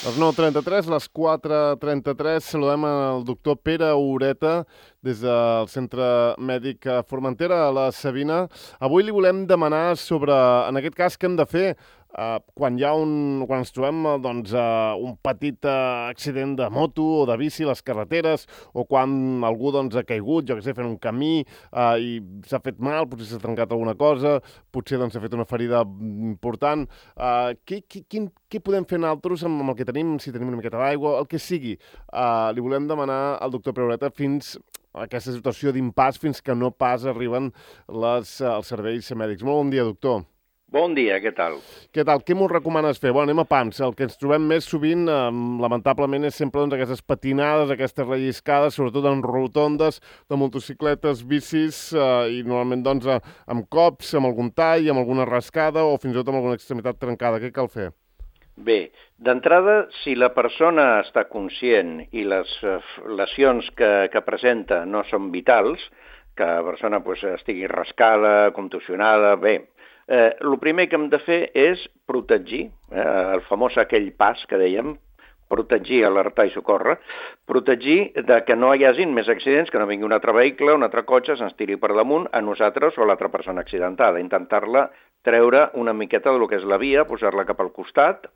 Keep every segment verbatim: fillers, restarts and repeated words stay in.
Les nou trenta-tres, les quatre trenta-tres, saludem el doctor Pere Ureta des del Centre Mèdic Formentera a la Sabina. Avui li volem demanar sobre, en aquest cas, què hem de fer Uh, quan hi ha un, quan ens trobem doncs, uh, un petit uh, accident de moto o de bici a les carreteres, o quan algú doncs, ha caigut, jo què sé, fent un camí uh, i s'ha fet mal, potser s'ha trencat alguna cosa, potser doncs, s'ha fet una ferida important. Uh, què, què, quin, què podem fer nosaltres amb, amb el que tenim, si tenim una miqueta d'aigua, el que sigui? Uh, li volem demanar al doctor Peureta fins a aquesta situació d'impàs, fins que no pas arriben les, uh, els serveis mèdics. Molt bon dia, doctor. Bon dia, què tal? Què tal? Què m'ho recomanes fer? Bueno, anem a pams. El que ens trobem més sovint, eh, lamentablement, és sempre doncs, aquestes patinades, aquestes relliscades, sobretot en rotondes de motocicletes, bicis, eh, i normalment doncs, eh, amb cops, amb algun tall, amb alguna rascada o fins i tot amb alguna extremitat trencada. Què cal fer? Bé, d'entrada, si la persona està conscient i les lesions que, que presenta no són vitals, que la persona pues, estigui rascada, contusionada, bé, Eh, el primer que hem de fer és protegir, eh, el famós aquell pas que dèiem, protegir, alertar i socórrer, protegir de que no hi hagin més accidents, que no vingui un altre vehicle, un altre cotxe, se'ns tiri per damunt a nosaltres o a l'altra persona accidentada, intentar-la treure una miqueta del que és la via, posar-la cap al costat,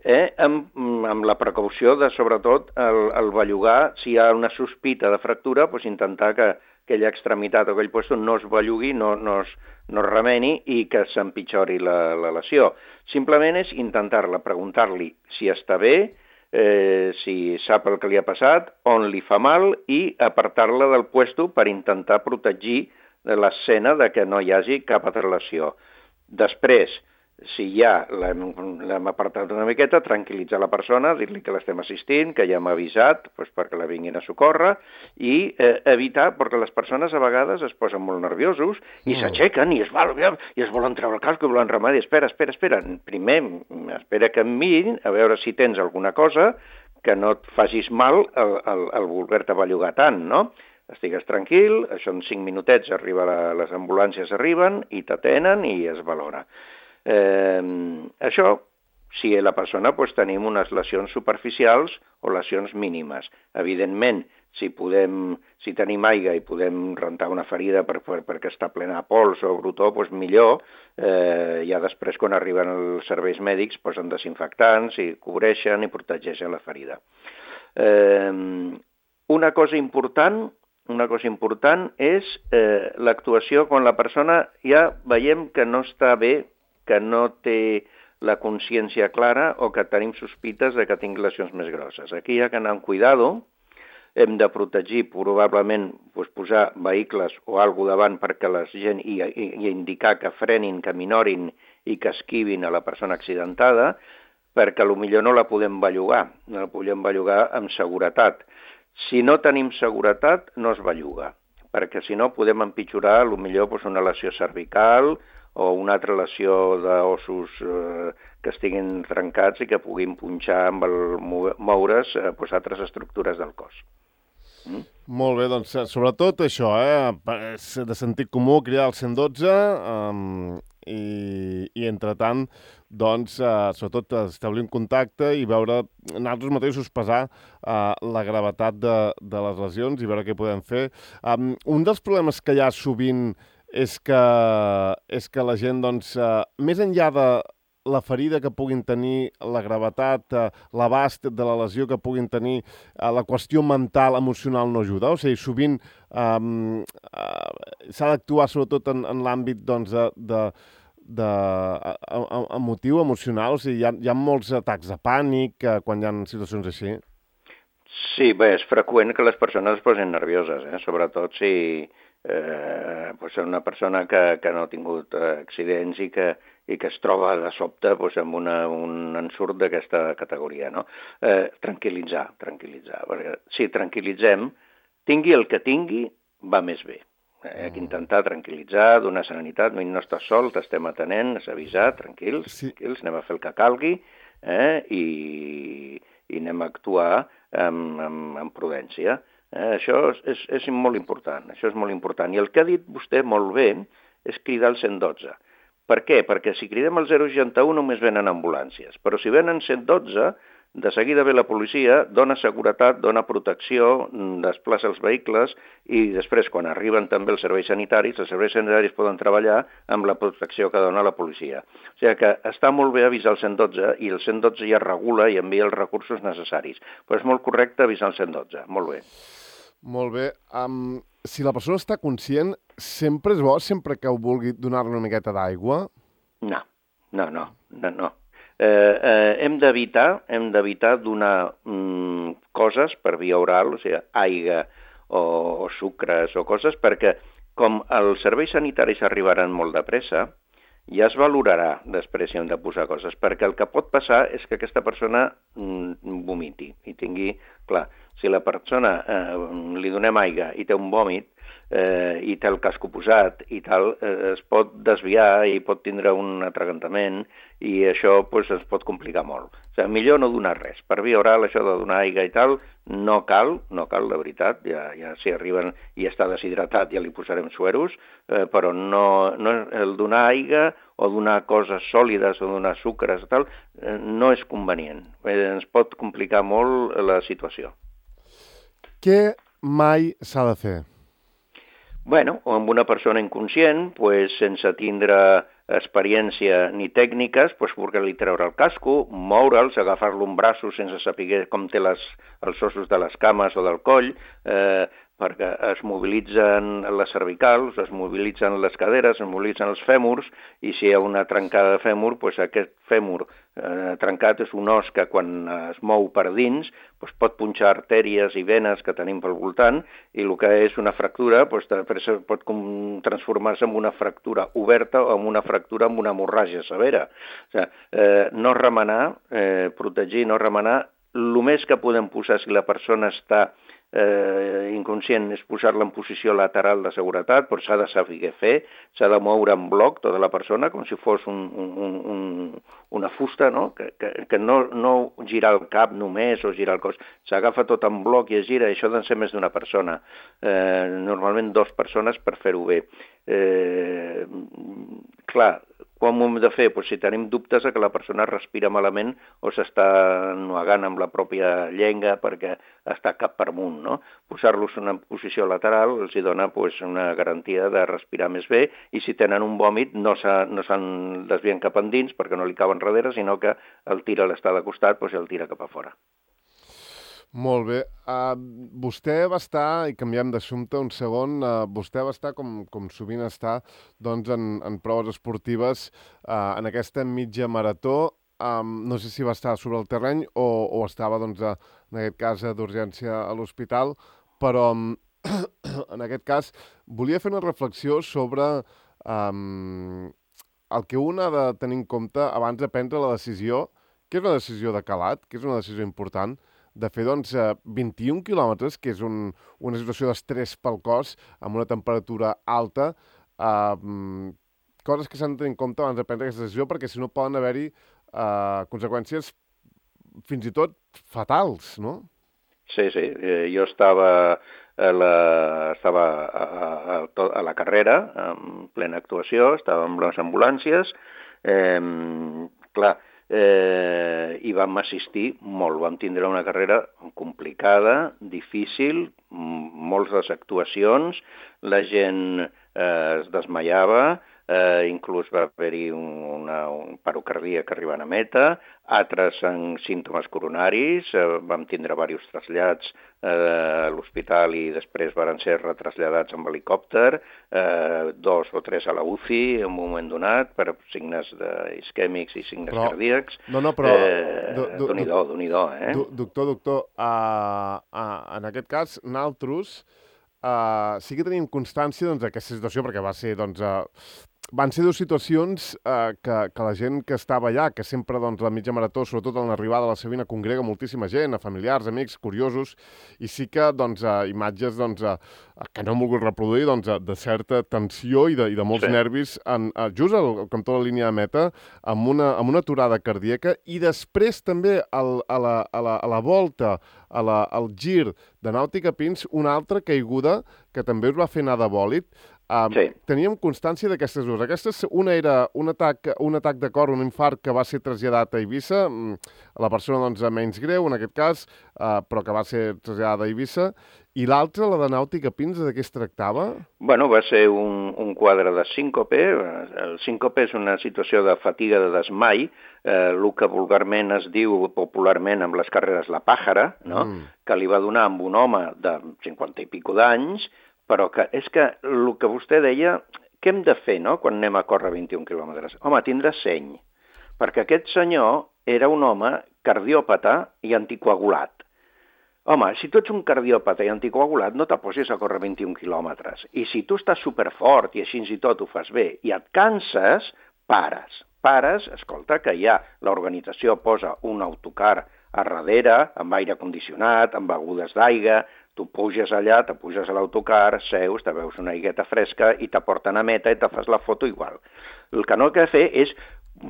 eh, amb, amb la precaució de, sobretot, el, el bellugar, si hi ha una sospita de fractura, doncs intentar que aquella extremitat o aquell lloc no es bellugui, no, no, es, no es remeni i que s'empitjori la, la lesió. Simplement és intentar-la, preguntar-li si està bé, eh, si sap el que li ha passat, on li fa mal i apartar-la del puesto per intentar protegir l'escena de que no hi hagi cap altra lesió. Després, si ja l'hem apartat una miqueta, tranquil·litzar la persona, dir-li que l'estem assistint, que ja hem avisat doncs, perquè la vinguin a socórrer i eh, evitar, perquè les persones a vegades es posen molt nerviosos i mm. s'aixequen i es, val, i es volen treure el casco i volen remediar. Espera, espera, espera. Primer, espera que em mirin a veure si tens alguna cosa que no et facis mal al, al, al voler-te bellugar tant, no? Estigues tranquil, això en cinc minutets arriba la, les ambulàncies arriben i t'atenen i es valora. Eh, això, si la persona pues, tenim unes lesions superficials o lesions mínimes. Evidentment, si, podem, si tenim aigua i podem rentar una ferida per, per, perquè està plena de pols o brutó, pues, millor. Eh, ja després, quan arriben els serveis mèdics, posen desinfectants i cobreixen i protegeixen la ferida. Eh, una cosa important... Una cosa important és eh, l'actuació quan la persona ja veiem que no està bé, que no té la consciència clara o que tenim sospites de que tingui lesions més grosses. Aquí hi ha que anar amb cuidado, hem de protegir probablement doncs, posar vehicles o alguna davant perquè la gent i, i, i indicar que frenin, que minorin i que esquivin a la persona accidentada, perquè potser no la podem bellugar, no la podem bellugar amb seguretat. Si no tenim seguretat, no es belluga, perquè si no podem empitjorar potser doncs, una lesió cervical o una altra lesió d'ossos eh, que estiguin trencats i que puguin punxar amb el moure's eh, doncs, altres estructures del cos. Mm? Molt bé, doncs sobretot això, eh, de sentit comú, cridar al cent dotze um, i, i entretant, doncs, eh, sobretot establir un contacte i veure nosaltres mateixos pesar eh, la gravetat de, de les lesions i veure què podem fer. Um, un dels problemes que hi ha sovint és que, és que la gent, doncs, eh, més enllà de la ferida que puguin tenir, la gravetat, eh, l'abast de la lesió que puguin tenir, eh, la qüestió mental, emocional no ajuda. O sigui, sovint eh, eh, s'ha d'actuar sobretot en, en l'àmbit doncs, de, de, de, emotiu, emocional. O sigui, hi ha, hi ha molts atacs de pànic eh, quan hi ha situacions així. Sí, bé, és freqüent que les persones es posin nervioses, eh? Sobretot si eh, pues una persona que, que no ha tingut eh, accidents i que, i que es troba de sobte pues, amb una, un ensurt d'aquesta categoria. No? Eh, tranquil·litzar, tranquil·litzar. Perquè si tranquil·litzem, tingui el que tingui, va més bé. Hem d'intentar tranquil·litzar, donar serenitat, no estàs sol, t'estem atenent, has avisat, tranquils, sí. tranquils, anem a fer el que calgui eh? I, i anem a actuar amb, amb, amb prudència. Eh? Això és, és molt important, això és molt important. I el que ha dit vostè molt bé és cridar el cent dotze. Per què? Perquè si cridem el zero seixanta u només venen ambulàncies, però si venen cent dotze de seguida ve la policia, dona seguretat, dona protecció, desplaça els vehicles i després, quan arriben també els serveis sanitaris, els serveis sanitaris poden treballar amb la protecció que dona la policia. O sigui que està molt bé avisar el cent dotze i el cent dotze ja regula i envia els recursos necessaris. Però és molt correcte avisar el cent dotze. Molt bé. Molt bé. Um, si la persona està conscient, sempre és bo, sempre que ho vulgui, donar-li una miqueta d'aigua? No, no, no, no, no. Eh, eh, hem d'evitar hem d'evitar donar mm, coses per via oral, o sigui, aigua o, o sucres o coses, perquè com els serveis sanitaris arribaran molt de pressa, ja es valorarà després si hem de posar coses, perquè el que pot passar és que aquesta persona mm, vomiti i tingui, clar, si la persona eh, li donem aigua i té un vòmit, Eh, i té el casco posat i tal, eh, es pot desviar i pot tindre un atragantament i això pues, es pot complicar molt. O sigui, millor no donar res. Per via oral, això de donar aigua i tal, no cal, no cal, de veritat, ja, ja si arriben i està deshidratat ja li posarem sueros, eh, però no, no, el donar aigua o donar coses sòlides o donar sucres i tal, eh, no és convenient. Eh, ens pot complicar molt la situació. Què mai s'ha de fer? Bueno, o amb una persona inconscient, pues, sense tindre experiència ni tècniques, pues, poder-li treure el casco, moure'ls, agafar-lo en braços sense saber com té les, els ossos de les cames o del coll, eh, perquè es mobilitzen les cervicals, es mobilitzen les caderes, es mobilitzen els fèmurs, i si hi ha una trencada de fèmur, pues aquest fèmur eh, trencat és un os que quan es mou per dins pues pot punxar artèries i venes que tenim pel voltant, i el que és una fractura pues, pot transformar-se en una fractura oberta o en una fractura amb una hemorràgia severa. O sigui, eh, no remenar, eh, protegir, no remenar, el més que podem posar si la persona està eh, inconscient és posar-la en posició lateral de seguretat, però s'ha de saber fer, s'ha de moure en bloc tota la persona, com si fos un, un, un, una fusta, no? que, que, que no, no girar el cap només o girar el cos, s'agafa tot en bloc i es gira, i això ha de ser més d'una persona, eh, normalment dues persones per fer-ho bé. Eh, clar, com ho hem de fer? Pues si tenim dubtes de que la persona respira malament o s'està ennuegant amb la pròpia llengua perquè està cap per amunt, no? Posar-los en una posició lateral els hi dona pues, una garantia de respirar més bé, i si tenen un vòmit no se'n no desvien cap endins perquè no li caben darrere, sinó que el tira a l'estar de costat pues, i el tira cap a fora. Molt bé. Uh, vostè va estar, i canviem d'assumpte un segon, uh, vostè va estar, com, com sovint està, doncs, en, en proves esportives, uh, en aquesta mitja marató. Um, no sé si va estar sobre el terreny o, o estava, doncs, a, en aquest cas, d'urgència a l'hospital, però um, en aquest cas volia fer una reflexió sobre um, el que un ha de tenir en compte abans de prendre la decisió, que és una decisió de calat, que és una decisió important, de fer doncs, vint-i-un quilòmetres, que és un, una situació d'estrès pel cos, amb una temperatura alta, eh, coses que s'han de tenir en compte abans de prendre aquesta decisió, perquè si no poden haver-hi eh, conseqüències fins i tot fatals, no? Sí, sí. Eh, jo estava a la, estava a, a, a la carrera, en plena actuació, estava amb les ambulàncies, eh, clar, Eh, i vam assistir molt, vam tindre una carrera complicada, difícil, moltes actuacions, la gent eh, es desmaiava, eh, inclús va haver-hi una, un paro cardíac arribant a meta, altres amb símptomes coronaris, eh, vam tindre diversos trasllats eh, a l'hospital i després van ser retraslladats amb helicòpter, eh, dos o tres a la U C I en un moment donat per signes isquèmics i signes però, cardíacs. No, no, però... Eh, Déu-n'hi-do, Déu-n'hi-do, eh? Doctor, doctor, uh, uh, en aquest cas, nosaltres uh, sí que tenim constància doncs, d'aquesta situació, perquè va ser, doncs, uh, van ser dues situacions eh, que, que la gent que estava allà, que sempre doncs, la mitja marató, sobretot en l'arribada a la Sabina, congrega moltíssima gent, a familiars, amics, curiosos, i sí que doncs, eh, imatges doncs, eh, que no hem volgut reproduir doncs, de certa tensió i de, i de molts sí. nervis en, eh, just al cantó de la línia de meta, amb una, amb una aturada cardíaca, i després també al, a, la, a, la, a la volta, a la, al gir de Nàutica Pins, una altra caiguda que també us va fer anar de bòlit. Uh, sí. Teníem constància d'aquestes dues. Aquestes, una era un atac, un atac de cor, un infart que va ser traslladat a Eivissa, la persona doncs menys greu en aquest cas, uh, però que va ser traslladada a Eivissa, i l'altra, la de Nàutica Pins, de què es tractava? Bueno, va ser un, un quadre de síncope. El síncope és una situació de fatiga de desmai, eh, el que vulgarment es diu popularment amb les carreres la pàjara, no? Mm. Que li va donar amb un home de cinquanta i pico d'anys, però que és que el que vostè deia, què hem de fer, no?, quan anem a córrer vint-i-un quilòmetres? Home, tindre seny, perquè aquest senyor era un home cardiòpata i anticoagulat. Home, si tu ets un cardiòpata i anticoagulat, no t'aposis a córrer vint-i-un quilòmetres. I si tu estàs superfort i així i tot ho fas bé i et canses, pares. Pares, escolta, que ja l'organització posa un autocar a darrere, amb aire condicionat, amb begudes d'aigua, tu puges allà, te puges a l'autocar, seus, te veus una aigueta fresca i te porten a meta i te fas la foto igual. El que no he de fer és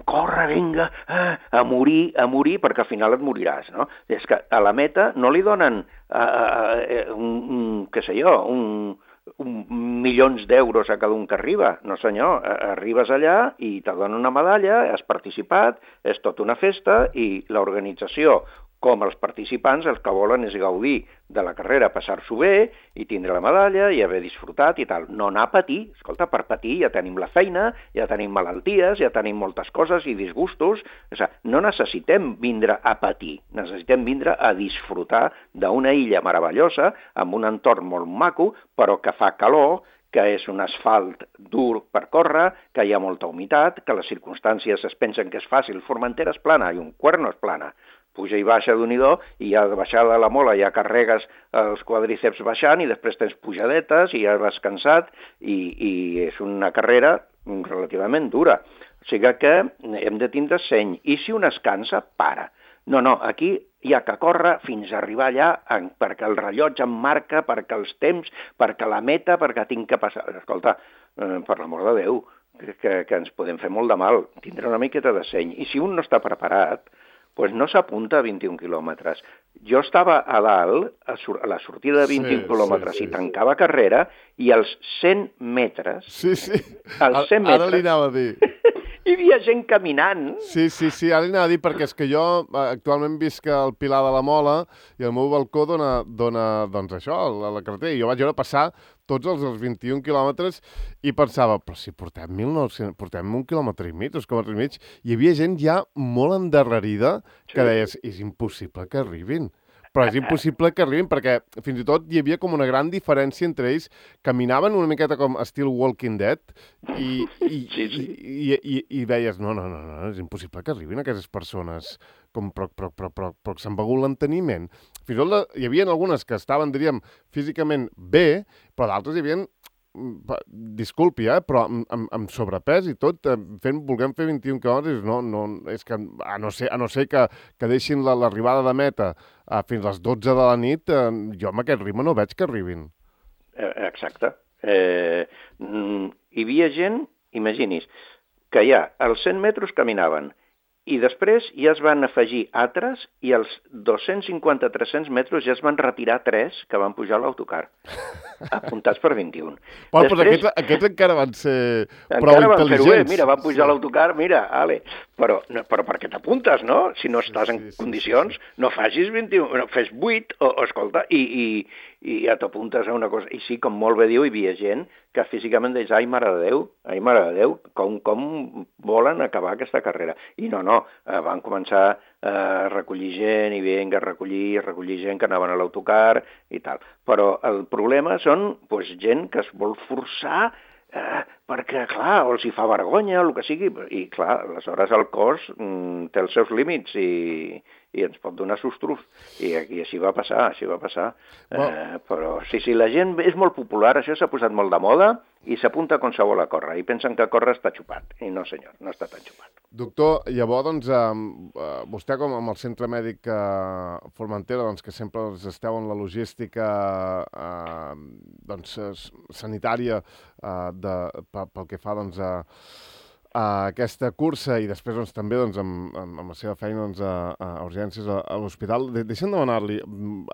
corre, vinga, a morir, a morir, perquè al final et moriràs, no? És que a la meta no li donen, uh, uh, un, un, què sé jo, un, un milions d'euros a cada un que arriba. No senyor, arribes allà i te donen una medalla, has participat, és tota una festa i l'organització, com els participants, el que volen és gaudir de la carrera, passar-s'ho bé i tindre la medalla i haver disfrutat i tal. No anar a patir. Escolta, per patir ja tenim la feina, ja tenim malalties, ja tenim moltes coses i disgustos. O sigui, no necessitem vindre a patir, necessitem vindre a disfrutar d'una illa meravellosa, amb un entorn molt maco, però que fa calor, que és un asfalt dur per córrer, que hi ha molta humitat, que les circumstàncies es pensen que és fàcil. Formentera és plana i un Cuerno és plana. Puja i baixa d'un i do, i ja de baixada de la mola ja carregues els quadríceps baixant i després tens pujadetes i ja vas cansat i, i és una carrera relativament dura. O sigui que hem de tindre seny. I si un es cansa, para. No, no, aquí hi ha que córrer fins a arribar allà perquè el rellotge em marca, perquè els temps, perquè la meta, perquè tinc que passar. Escolta, eh, per l'amor de Déu, que, que ens podem fer molt de mal. Tindre una miqueta de seny. I si un no està preparat, pues no s'apunta a vint-i-un quilòmetres. Jo estava a dalt, a, sur a la sortida de vint-i-un sí, quilòmetres sí, sí, i tancava sí. carrera, i als cent metres... Sí, sí, als cent metres, ara li anava a dir. Hi havia gent caminant. Sí, sí, sí, ara li anava a dir, perquè és que jo actualment visc al Pilar de la Mola i el meu balcó dona, dona doncs això, a la carretera. I jo vaig veure passar tots els, els vint-i-un quilòmetres i pensava, però si portem mil nou-cents, portem un quilòmetre i mig, dos quilòmetres i mig, hi havia gent ja molt endarrerida que sí. deies, és impossible que arribin. Però és impossible que arribin, perquè fins i tot hi havia com una gran diferència entre ells. Caminaven una miqueta com estil Walking Dead i, i, sí, sí. i, i, i, i veies, no, no, no, no, és impossible que arribin aquestes persones, com, però, però, però, però, però que s'han begut l'enteniment. Fins i tot hi havia algunes que estaven, diríem, físicament bé, però d'altres hi havia, disculpi, eh, però amb, amb, amb sobrepès i tot, fent, volguem fer vint-i-un quilòmetres, no, no, és que a no ser, a no ser que, que deixin l'arribada de meta eh, fins a les dotze de la nit, eh, jo amb aquest ritme no veig que arribin. Exacte. Eh, hi havia gent, imagini's, que ja als cent metres caminaven, i després ja es van afegir altres i als dos-cents cinquanta a tres-cents metres ja es van retirar tres que van pujar a l'autocar, apuntats per vint-i-un. Però després, doncs aquests, aquests encara van ser prou intel·ligents. Van mira, van pujar sí. a l'autocar, mira, ale. Però, no, però per què t'apuntes, no? Si no estàs en sí, sí, condicions, sí, sí. no facis vint-i-un, no, fes vuit, o, o escolta, i, i, i ja t'apuntes a una cosa. I sí, com molt bé diu, hi havia gent que físicament deia, ai, mare de Déu, ai, mare de Déu, com, com volen acabar aquesta carrera. I no, no, eh, van començar a recollir gent i vinga, a recollir, a recollir gent que anaven a l'autocar i tal. Però el problema són pues, gent que es vol forçar eh, perquè, clar, o els hi fa vergonya o el que sigui, i clar, aleshores el cos mm, té els seus límits i, i ens pot donar sustos. I aquí així va passar, així va passar. Well. Eh, però sí, sí, la gent és molt popular, això s'ha posat molt de moda i s'apunta a qualsevol a córrer i pensen que córrer està xupat. I no, senyor, no està tan xupat. Doctor, llavors, doncs, eh, vostè com amb el Centre Mèdic eh, Formentera, doncs, que sempre doncs, esteu en la logística eh, doncs, sanitària eh, de, pel que fa doncs, a Uh, aquesta cursa i després doncs, també doncs, amb, amb, amb la seva feina doncs, a, a urgències a, a l'hospital. De, deixa'm demanar-li,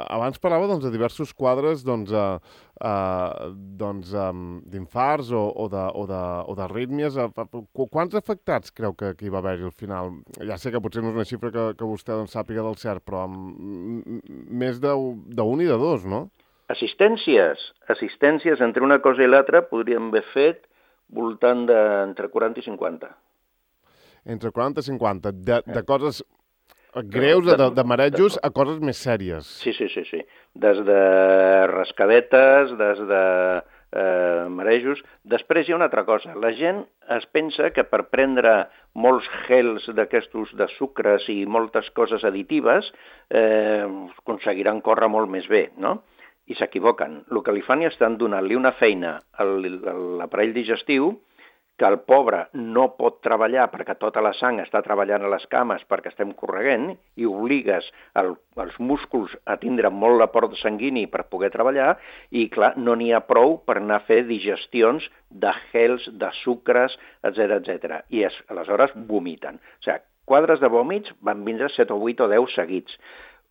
abans parlava doncs, de diversos quadres doncs, uh, uh, doncs, um, d'infarts o, o, de, o, de, o d'arrítmies. Quants afectats creu que, que hi va haver-hi al final? Ja sé que potser no és una xifra que, que vostè doncs, sàpiga del cert, però amb més d'un i de dos, no? Assistències. Assistències entre una cosa i l'altra podríem haver fet voltant d'entre quaranta i cinquanta. Entre quaranta i cinquanta. De, de coses greus, de, de marejos, a coses més sèries. Sí, sí, sí, sí. Des de rascadetes, des de eh, marejos. Després hi ha una altra cosa. La gent es pensa que per prendre molts gels d'aquestos de sucres i moltes coses additives eh, aconseguiran córrer molt més bé, no? I s'equivoquen. El que li fan és estan donant-li una feina a l'aparell digestiu que el pobre no pot treballar perquè tota la sang està treballant a les cames perquè estem correguent i obligues el, els músculs a tindre molt l'aport sanguini per poder treballar i, clar, no n'hi ha prou per anar a fer digestions de gels, de sucres, etcètera, etcètera. I es, aleshores vomiten. O sigui, quadres de vòmits van vindre set o vuit o deu seguits.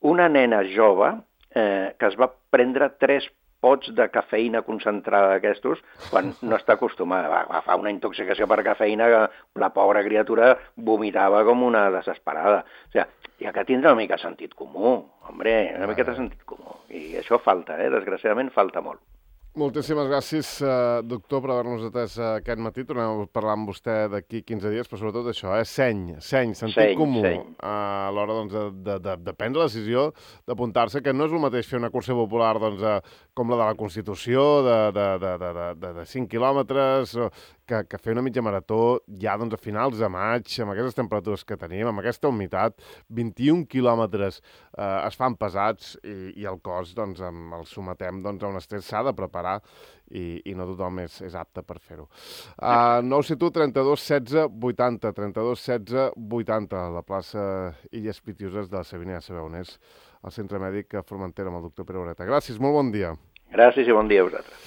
Una nena jove Eh, que es va prendre tres pots de cafeïna concentrada d'aquestos quan no està acostumada. Va agafar una intoxicació per cafeïna que la pobra criatura vomitava com una desesperada. O sigui, hi ha que tindre una mica de sentit comú, hombre, una mica de sentit comú. I això falta, eh? Desgraciadament falta molt. Moltíssimes gràcies, eh, doctor, per haver-nos atès eh, aquest matí. Tornem a parlar amb vostè d'aquí quinze dies, però sobretot això, eh? Seny, seny, sentit seny, comú seny. a l'hora doncs, de, de, de, de prendre la decisió d'apuntar-se, que no és el mateix fer una cursa popular doncs, eh, com la de la Constitució, de, de, de, de, de, de cinc quilòmetres, que, que fer una mitja marató ja doncs, a finals de maig, amb aquestes temperatures que tenim, amb aquesta humitat, vint-i-un quilòmetres eh, es fan pesats i, i el cos doncs, amb, el sometem doncs, a un estrès, s'ha de preparar i, i no tothom és, és apte per fer-ho. Uh, nou set u trenta-dos setze vuitanta, trenta-dos setze vuitanta, a la plaça Illes Pitiuses de la Sabina, ja sabeu on és, al Centre Mèdic Formentera amb el doctor Pere Ureta. Gràcies, molt bon dia. Gràcies i bon dia a vosaltres.